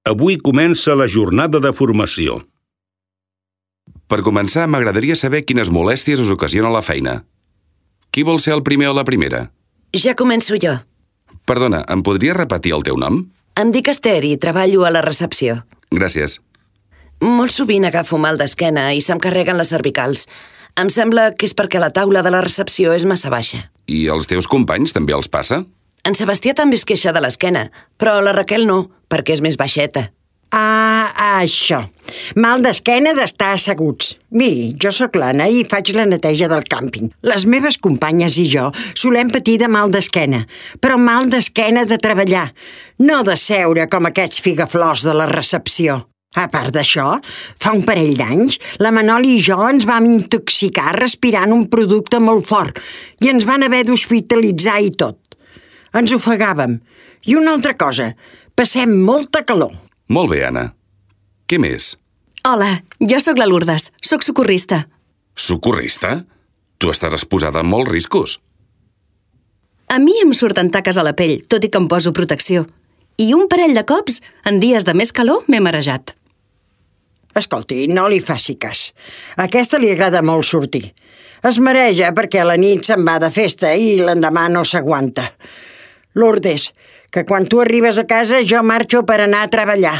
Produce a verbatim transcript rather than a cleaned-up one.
Avui comença la jornada de formació. Per començar, m'agradaria saber quines molèsties us ocasiona la feina. Qui vol ser el primer o la primera? Ja començo jo. Perdona, em podries repetir el teu nom? Em dic Esther i treballo a la recepció. Gràcies. Molt sovint agafo mal d'esquena i se'm carreguen les cervicals. Em sembla que és perquè la taula de la recepció és massa baixa. I als teus companys també els passa? En Sebastià també es queixa de l'esquena, però la Raquel no, perquè és més baixeta. Ah, això. Mal d'esquena d'estar asseguts. Miri, jo sóc l'Anna i faig la neteja del càmping. Les meves companyes i jo solem patir de mal d'esquena, però mal d'esquena de treballar, no de seure com aquests figaflors de la recepció. A part d'això, fa un parell d'anys, la Manoli i jo ens vam intoxicar respirant un producte molt fort i ens van haver d'hospitalitzar i tot. Ens ofegàvem. I una altra cosa, passem molta calor. Molt bé, Anna. Què més? Hola, jo sóc la Lourdes, sóc socorrista. Socorrista? Tu estàs exposada a molts riscos. A mi em surten taques a la pell, tot i que em poso protecció. I un parell de cops, en dies de més calor, m'he marejat. Escolti, no li faci cas. A aquesta li agrada molt sortir. Es mareja perquè a la nit se'n va de festa i l'endemà no s'aguanta. Lourdes, que quan tu arribes a casa jo marxo per anar a treballar.